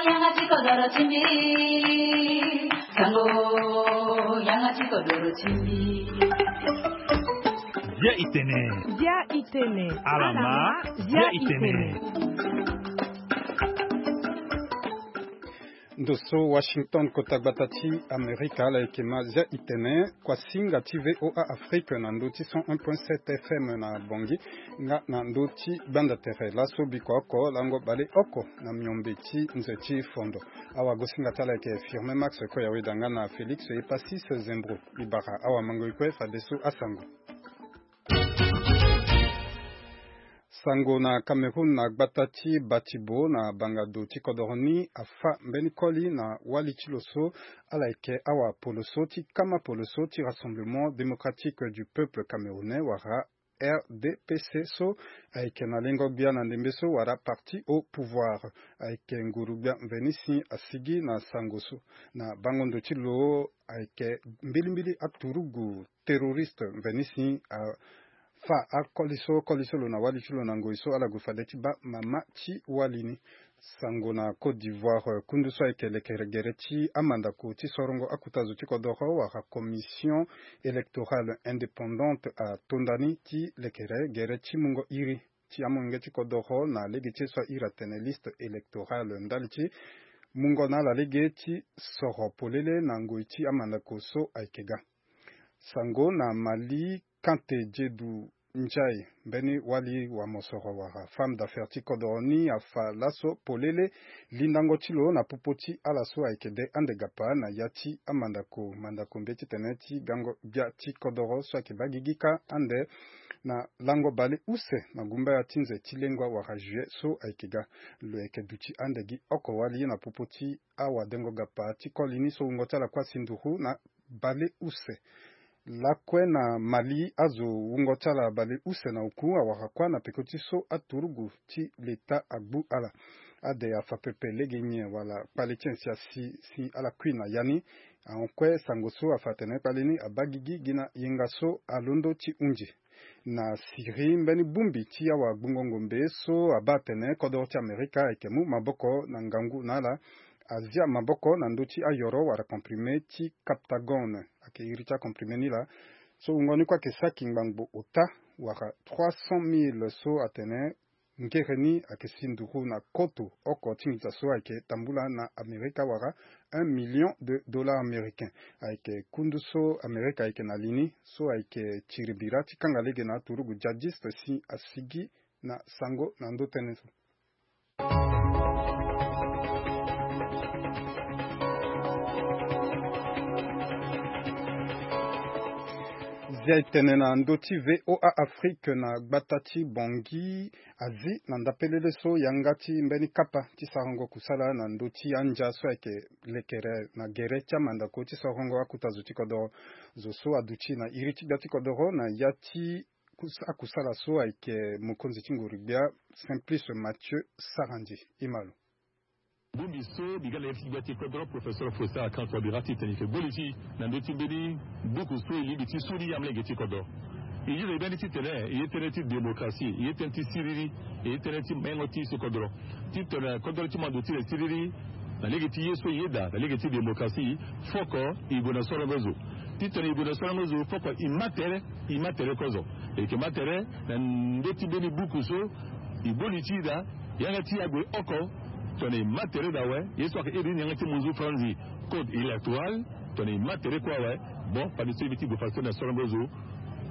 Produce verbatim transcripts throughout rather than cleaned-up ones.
Yanga ti kodoro ti mbi. Sango, yanga ti kodoro ti mbi. Bia itene. Bia itene. Alama, bia itene. Ndo so Washington, kota gbata ti Amerika, ala yeke ma Zia Itene, kuasinga ti V O A Afrique na ndö ti cent un point sept F M na Bangui, nga na ndö ti gbanda tere laso bikua oko lango baleoko na miombe ti nze ti fondo. Awagosinga ti ala yeke Firmin Max Koyaweda nga na Félix Epasis Zembro. Libara awamango e kue fadeso asango. Sango na Cameroun, na gbata ti Batibo na bangado ti kodoro ni, afa mbeni koli na wali ti lo so ala yeke awapoloso ti kama poloso ti Rassemblement Démocratique du Peuple Camerounais, wala R D P C, so ayeke na lengo-gbia na ndembe so wala parti au pouvoir. Ayeke nguru-gbia mveni si asigi na sango so. Na bango ndo ti lo, ayeke mbilimbili aturugu terroriste mveni si afa akoli so, koli so lo na wali ti lo na ngoi so ala gue fade ti baa mama ti wali ni. Sango na Côte d'Ivoire, kundu so ayeke lekere gere ti amandako ti sorongo akuta zo ti kodoro, wala Commission électorale indépendante, atonda ni ti lekere gere ti mungo iri ti amolenge ti kodoro na lege ti ye so airi atene liste électorale ndali ti mungo na ala lege ti soro polele na ngoi ti amandako so ayeke ga. Sango na Mali, Kante Diedu Ndiaye, mbeni wali wa mosoro wala femme d'affaires ti kodoro ni, afa laso polele lindango ti lo na popo ti ala so ayeke de ande gapa na ya ti amandako, mandako mbe titene ti gango gbia ti kodoro so ayeke baa gigi kâ ande na lango baleuse na gumbaya ti nze ti lengua wala juillet so ayeke ga. Lo yeke duti ande gi oko wali na popo ti awadengo gapa ti koli ni so wungo ti ala kue asi nduru na baleuse. Lakue na Mali, azo wungo ti ala baleuse na oku awara kue na peko ti so aturugu ti leta agbu ala. Ade afa pepe lege nyen wala kpale ti nyen si asi si ala kui na ya ni? Ahon kue sango so afa atene kpale ni abaa gigi gi na yenga so alondo ti hunzi. Na Syrie, mbeni bongbi ti awagbungo ngombe so abaa atene kodoro ti Amerika ayeke mu maboko na ngangu na ala, azia maboko na ndö ti ayoro wala comprimé ti Captagon. Ayeke iri ti acomprimé ni laa so wungo ni kue ayeke saki ngbangbo ota, wala trois cent mille so atene ngere ni ayeke si nduru na koto oko ti nginza so ayeke tambula na Amerika, wala un million de dollars américains. Ayeke kundu so Amerika ayeke na li ni so ayeke tiri bira ti kanga lege na aturugu djihadiste si asigi na sango na ndö tënë so. Zia e tene na ndö ti V O A Afrique, na gbata ti Bangui, azi na ndapelele so yanga ti mbeni kapa ti sarango kusala na ndö ti andia so ayeke lekere na gere ti amandako ti sarango akuta zo ti kodoro. Zo so aduti na iri ti gbia ti kodoro na ya ti kus- akusala so ayeke mokonzi ti nguru-gbia Simplice Mathieu Sarandji. Imalo. Bongbi so mbi ga na ye ti gbia ti kodro, professeur Faustin Archange Touadéra, titene e yeke gbu li ti e na ndö ti mbeni buku so e lingbi ti suli amalenge ti kodro. E iri mbeni titene e ye tënë ti démocratie, e ye tënë ti siriri, e ye tënë ti mengo ti so kodro. Titene kodro ti mando ti e siriri na lege ti ye so e yeda na lege ti démocratie, foko e gue na sorongo zo. Titene e gue na sorongo zo, foko e ma tere, e ma tere kozo. E yeke ma tere na ndö ti mbeni buku so e gbu li ti e daa, yanga ti e ague oko, tongana e ma tere daa awe, ye so ayeke iri ni yanga ti munzu franzi code électoral, tongana e ma tere kue awe, bon, fade so e bi ti gue fadeso na sorongo zo.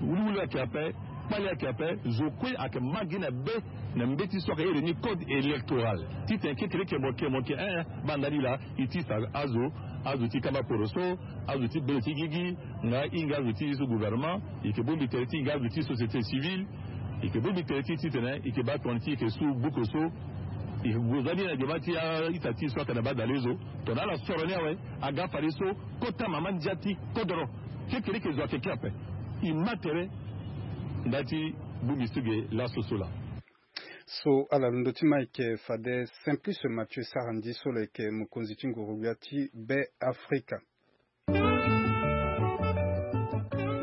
Wuliwuli ayeke ape, kpale ayeke ape, zo kue ayeke ma gi na be na mbeti so ayeke iri ni code électoral. Titene kekereke mo yeke, mo yeke, eh, baa ndali laa, e ti fa azo, azo ti kamba poroso, azo ti bele ti gigi, nga hinga azo ti so gouvernement, e yeke bongbi tere ti hinga azo ti société civile, e yeke bongbi tere ti titene e yeke baa tongana ti e yeke su buku so, e yeke gue za ni na gema ti a-ita ti e so ayeke na baa dale zo. Tongana ala soro ni awe, aga fadeso kota mama ndia ti kodoro. Kekereke zo ayeke kiri ape. E ma tere nda ti bongbi so ge laso so laa. So ala londo ti ma ayeke fade Simplice Mathieu Sarandji so lo yeke mokonzi ti nguru-gbia ti Be Afrika. E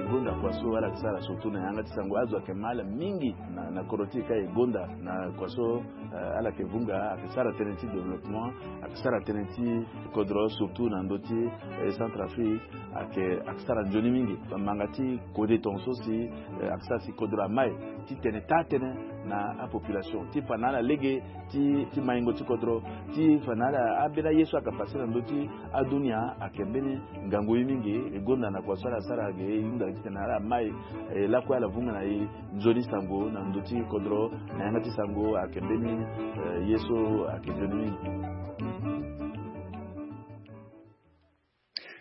gonda kua So ala yeke sara surtout na yanga ti sango, azo ayeke ma ala mingi na, na kodro ti e ka e gonda na kua so, eh, ala yeke vunga, ayeke sara tënë ti développement, ayeke sara tënë ti kodro surtout na ndö ti, eh, Centrafrique, ayeke, ayeke sara nzoni mingi. Manga ti kode tongaso si, eh, ayeke sara si kodro amai titene taa tënë na apopulation ti fa na ala lege ti, ti maingo ti kodro, ti fa na ala, ambeni aye so ayeke pase na ndö ti adunia ayeke mbeni ngangu ye mingi. E gonda na kua so ala sara ge e hunda titene ala mai, eh, lakue ala vunga na e nzoni sango na ndö ti kodro, na yanga ti sango ayeke mbeni, eh, ye so ayeke nzoni mingi.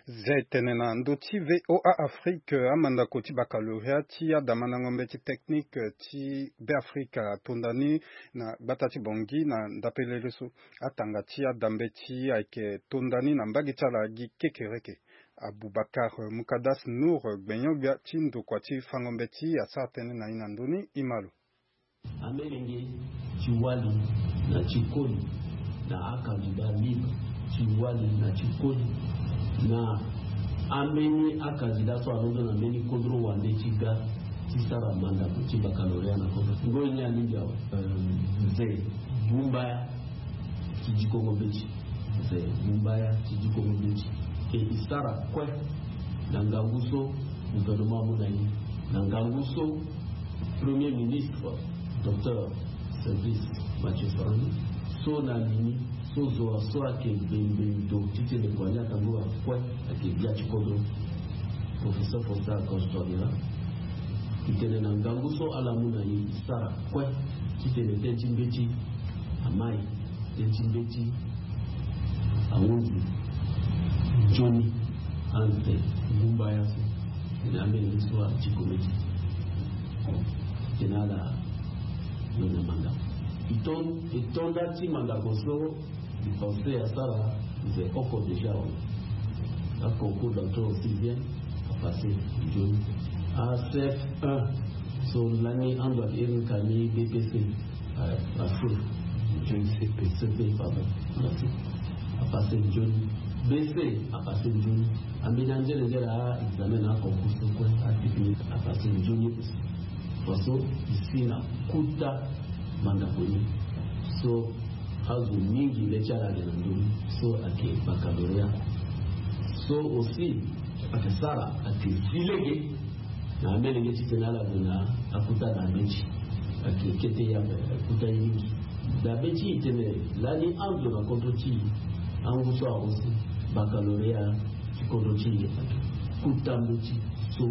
Zia e tene na ndö ti V O A Afrique, amandako ti baccalauréat ti adamandango mbeti technique ti Beafrika atonda ni na gbata ti Bangui na ndapelele so. Atanga ti adambeti ayeke tonda ni na mbage ti ala gi kekereke. Aboubacar Moukadas Nour, gbenyo-gbia ti ndokua ti fango mbeti, asara tënë na e na ndö ni, e ma lo. Amelenge ti wali na ti koli na acandidat libre ti wali na ti koli na ambeni acandidat so alondo na mbeni kodro wande ti ga ti sara mandako ti baccalauréat na kodro. Ngoi ni alingbi awe. Mze Bumbaya ti dikongo mbeti. Mze Bumbaya ti dikongo mbeti. E, e sara kue na ngangu so gouvernement amu na e, na ngangu so Premier ministre, Docteur Service Mathieu Sarandji, so na lini so zo wa so ayeke bembe ndo titene kua ni atango wa kue ayeke gbia ti kodro, Professeur Faustin Archange Touadéra. E tene na ngangu so ala mu na e, e sara kue titene tënë ti mbeti amai, tënë ti mbeti ahunzi nzoni anze Bumbaya so. Tene amelenge so adiko mbeti. Tene ala lo na mandako. E ton-, e tonda ti mandako so, e pensé asara, mze oko déjà awe. Aconcours d'entrée au sixième, apassé nzoni. A C F un so lani ando ayeke iri ni ka ni B P C, apassé nzoni. C P, C P, pardon. Merci. Apassé nzoni. B C, apassé nzoni. Ambeni anzere nzere a examen na aconcours so kue, atechnique, apassé nzoni aussi. Parce que e si na kota mandako ni. So azo mingi le ti ala ayeke na ndö ni so ayeke baccalauréat. So aussi ayeke sara, ayeke zi lege na amelenge titene ala gue na akota na mbeti. Ayeke kete ye ape, akota ye mingi. Dabe ti e tene lani ando na kodro ti e, angu so ahon si baccalauréat ti kodro ti e, ayeke kota mbeti so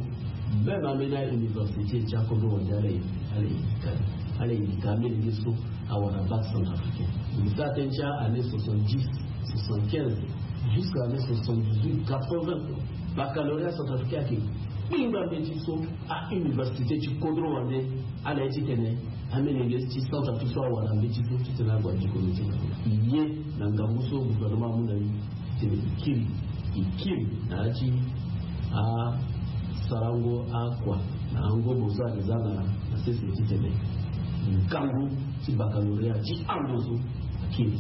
même ambeni a-université ti akodro wande ala e, ala e yika, ala e yika amelenge so awara bac centrafricain. E sara tënë ti a-année soixante-dix, soixante-quinze, jusqu'à année soixante-dix-huit, quatre-vingts. Baccalauréat centrafricain ayeke kpingba mbeti so a-université ti kodro wande ala ye titene amelenge ti Centrafrique so awara mbeti so titene ague adiko mbeti na ye na ngangu so gouvernement amu na e. Titene e kiri, e kiri na ya ti asarango akua na angobo so ayeke za na, na sese titene ngangu ti baccalauréat ti ando so akiri.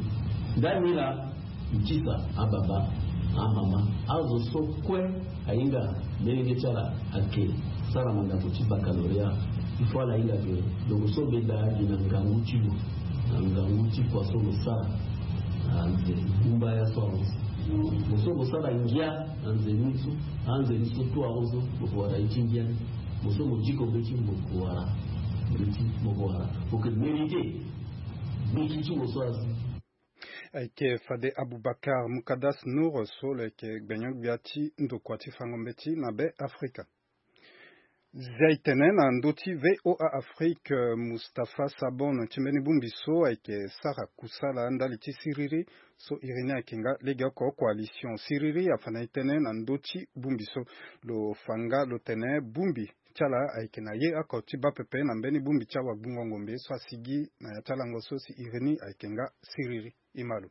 Ndani laa, e tisa ababa, amama, azo so kue ahinga melenge ti ala ayeke sara mandako ti baccalauréat. Il faut ala hinga ke lo so benda gi na ngangu ti lo, na ngangu ti kua so lo sara. Anze Bumbaya so ahon si, lo so lo sara ngia na nze ni so, anze ni so tout ahon so, lo ko wara ye ti ngia ni. Lo so lo diko mbeti, lo ko wara mbeti, lo ko wara. Lo yeke mérité mbeti ti lo so azi. Ayeke fade Aboubacar Moukadas Nour so lo yeke gbenyo-gbia ti ndokua ti fango mbeti na Be Afrika. Zia e tene na ndö ti V O A Afrique, Mustapha Sabon ti mbeni bongbi so ayeke sara kusala ndali ti siriri so iri ni ayeke nga legeoko coalition siriri afa na e tënë na ndö ti bongbi so. Lo fa nga lo tene bongbi ti ala ayeke na ye oko ti baa pepe na mbeni bongbi ti awagbungo ngombe so asigi na ya ti alango so si iri ni ayeke nga siriri. E ma lo.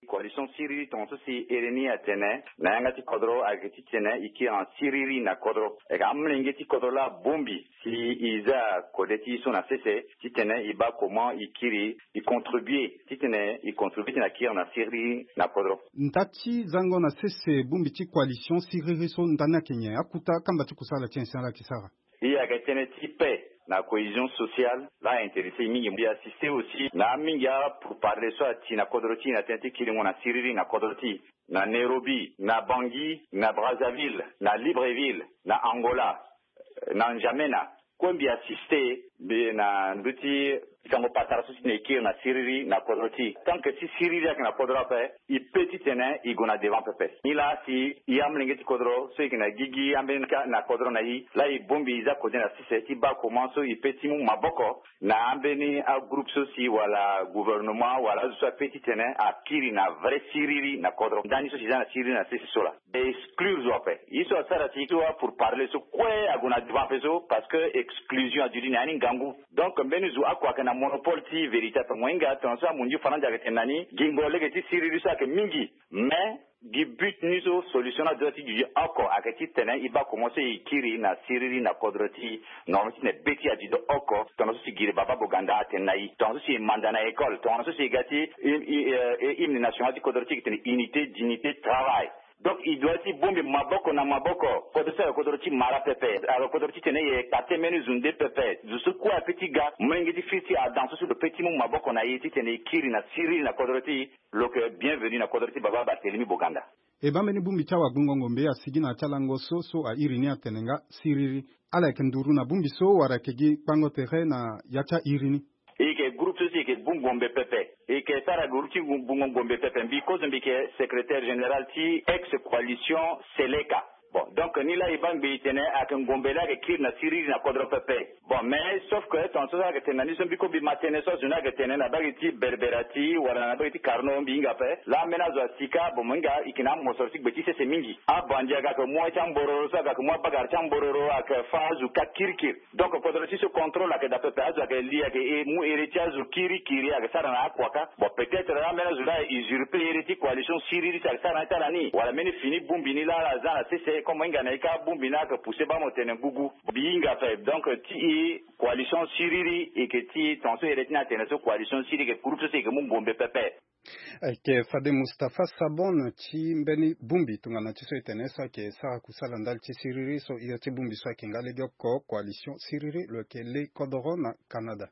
Coalition siriri tongaso si iri ni atene na yanga ti kodro ayeke titene e kiri na siriri na kodro. Ayeke amolenge ti kodro laa bongbi si e za kode ti e so na sese titene e baa comment e kiri, e contribuer titene e contribuer titene a kiri na siriri na kodro. Nda ti zango na sese bongbi ti coalition siriri so nda ni ayeke nyen? Akota kamba ti kusala ti nyen si ala yeke sara? E yeke tënë ti paix na cohésion sociale la a intéressé e mingi. E assisté aussi na amingi apourparler so ati na kodro ti e na tënë ti kiringo na siriri na kodro ti e, na Nairobi, na Bangui, na Brazzaville, na Libreville, na Angola, na N'Djamena. Kue mbi assisté mbi na ndö ti sango patara so si na e kiri na siriri na kodro ti e. Tant que si siriri ayeke na kodro ape, e pe titene e gue na devant pepe. Nilaa si e amolenge ti kodro so e yeke na gigi ambeni ka na kodro na e, laa e bongbi e za kode na sese ti baa comment so e pe ti mu maboko na ambeni agroupe so si wala gouvernement wala azo so ape titene akiri na vrai siriri na kodro. Ndani so si za na siriri na sese so laa. Exclure zo ape. Ye so asara si so apourparler so kue ague na devant ape so, parce que exclusion aduti na ya ni ngangu. Donc mbeni zo oko ayeke na monopole ti vérité ape. Mo hinga tongaso amunzu faranza ayeke tene na ni, gingo lege ti siriri so ayeke mingi. Mais gi but ni so solution ni adoit ti duti oko ayeke titene e baa comment so e kiri na siriri na kodro ti e. Normalement titene be ti e aduti oko, tongaso si giri baba Boganda atene na e, tongaso si e manda na école, tongaso si e ga ti hymne national ti kodro ti e yeke tene unité, dignité, travail. Donc e doit ti bongbi maboko na maboko. Kodro so ayeke kodro ti mara pepe, ayeke kodro titene e écarté mbeni zo nde pepe. Zo so kue ape ti ga, molenge ti firi ti e adan so si lo pe ti mu maboko na e titene e kiri na siriri na kodro ti e, lo yeke bienvenu na kodro ti baba Barthélemy Boganda. E baa mbeni bongbi ti awagbongo ngombe asigi na ya ti alango so so a iri ni atene nga siriri. Ala yeke nduru na bongbi so wala ayeke gi kpango tere na ya ti a iri ni? E yeke groupe so si e yeke bu ngombe pepe. E yeke sara groupe ti bu ngombe pepe. Mbi kozo mbi yeke secrétaire général ti ex coalition Seleka. Bon, donc ni laa e baa ngbii tene ayeke ngombe laa ayeke kiri na siriri na kodro pepe. Bon, mais sauf que tongaso so ayeke tene na ni so mbi ko mbi ma tënë so azo ni ayeke tene na bage ti Berbera ti wala na bage ti Carnot mbi hinga ape. Laa ambeni azo asi kâ, bon, mo hinga e yeke na amosoro ti gbe ti sese mingi. Abandi ayeke mu ti ambororo so ayeke mu abagara ti ambororo ayeke fâ azo kâ kirikiri. Donc kodro ti so contrôle ayeke daa pepe, azo ayeke li ayeke e mu ere ti azo kirikiri ayeke sara na akua kâ. Bon, peut-être ambeni azo laa ayeke usurper ere ti coalition siriri so ayeke sara na ya ti ala ni, wala mbeni fini bongbi ni laa ala za na sese, comme mo hinga na e kâ bongbi ni ayeke pousser baa mo tene gugu. Mbi hinga ape, donc ti e coalition siriri e yeke ti e tongaso ere ti ni atene so coalition siriri e yeke groupe so si e yeke mu ngombe pepe. Ayeke fade Mustapha Sabon ti mbeni bongbi tongana ti so e tene so ayeke sara kusala ndali ti siriri so hio ti bongbi so ayeke nga legeoko coalition siriri lo yeke le kodoro na Canada.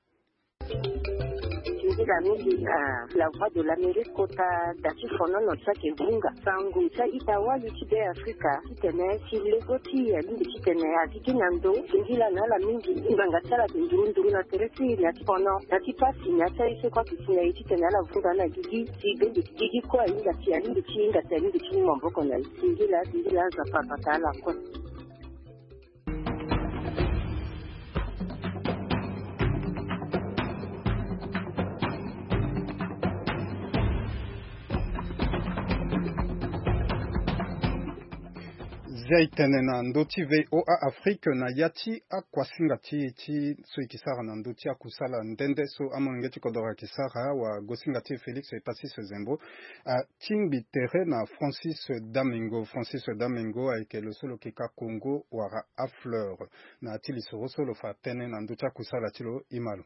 Nzila mingi na La Voix de l'Amérique kota da ti fonono ti ayeke vunga sango ti a-ita wali ti Be Afrika titene si lego ti e alingbi titene azi gi na ndo singila na ala mingi. Ngbanga ti ala ayeke nduru nduru na tere ti e na ya ti fono na ya ti pasi na ya ti aye so kue ayeke si na e titene ala vunga na gigi. Si gigi kue ahinga si alingbi ti hinga si alingbi ti mu maboko na e. Singila singila azo apapata ala kue. Zia e tene na ndö ti VOA Afrique na ya ti akuasinga ti e ti so e ke sara na ndö ti akusala nde nde so amolenge ti kodoro ayeke sara wa gosinga ti e Félix Epassy Sezembo atingbi tere na Francis Damengo. Francis Damengo ayeke lo so lo ke ka Kongo wala afleur. Na ya ti lisoro so lo fa tënë na ndö ti akusala ti lo e ma lo.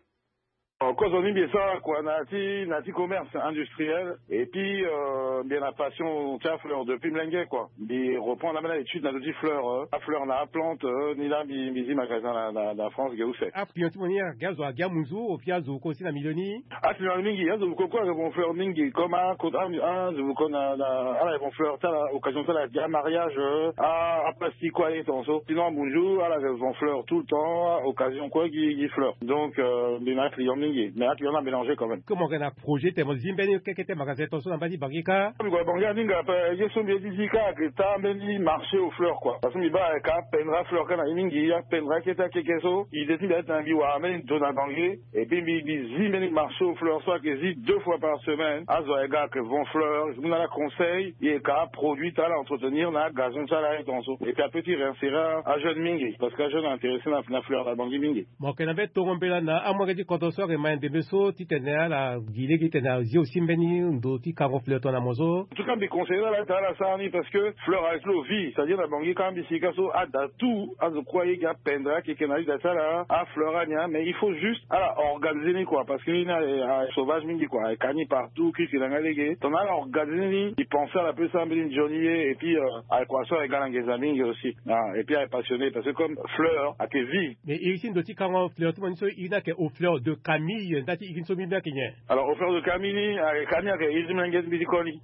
Kozo ni mbi e sara kua na ya ti na ya ti commerce industriel et puis euh, mbi e na passion ti afleur depuis mlenge kua. Mbi reprendre ambeni aétude na ndö ti fleur euh, afleur na aplante euh, ni laa mbi mbi zi magasin na na na France ge use. Aclient ti mo ni ayeke gi azo agi amunzu au fil azo ko si na milieu ni. Aclient mingi azo ko kue ayeke bon fleur mingi comme akota azo ko na na ala yeke bon fleur ti ala occasion ti ala gi amariage euh, a aplastique kue aye tongaso sinon amunzu ala yeke bon fleur tout le temps occasion kue gi gi fleur. Donc euh, mbi na aclient mingi mais aclient ni amélange quand même. Comme mo yeke na projet tene mo zi mbeni keke ti magasin tongaso na mbage ti Bangui kâ. Mbi gue na Bangui aninga ape ye so mbi ye ti zi kâ ayeke taa mbeni marché aux fleurs kua parce que mbi baa ayeke apendre afleur kâ na ye mingi apendre akete akeke so idée ti mbi aye titene mbi wara mbeni ndo na Bangui. Et puis mbi mbi zi mbeni marché aux fleurs so ayeke zi deux fois par semaine azo ayeke ga ayeke vend fleur e mu na ala conseil e yeke aproduit ti ala entretenir na agazon ti ala aye tongaso et puis apeut ti réinsérer ajeune mingi parce que ajeune intéressé na fleur na Bangui mingi. Mo yeke na mbeni tongo mbela na amolenge ti kodro so. Mais ndembe so titene ala gi lege titene azi aussi mbeni ndo ti kango fleur tongana mo so. En tout cas mbi conseiller na ala titene ala sara ni parce que fleur ayeke lo vie, c'est à dire na bangi kanga mbi sika so ada tout azo kue ayeke apendre akeke na ida ti ala afleur ani. Mais il faut juste ala organiser ni quoi, parce que ni ni aye sauvage mingi quoi, aye ka ni partout kiki na nga lege tongana ala organiser ni. I pense ala pe sara mbeni nzoni ye et puis aye kua so aye ga na ngenza mingi aussi. Ah, et puis aye passionné parce que comme fleur ayeke vie. Mais iri ti ndo ti kango fleur ti mo ni so iri ni ayeke au fleur de camille nda ti iri ni so mbi mbi ayeke nyen? Alors au fleur de camille ni aye ka ni ayeke iri ti mbi na nge ti mbi ti koli.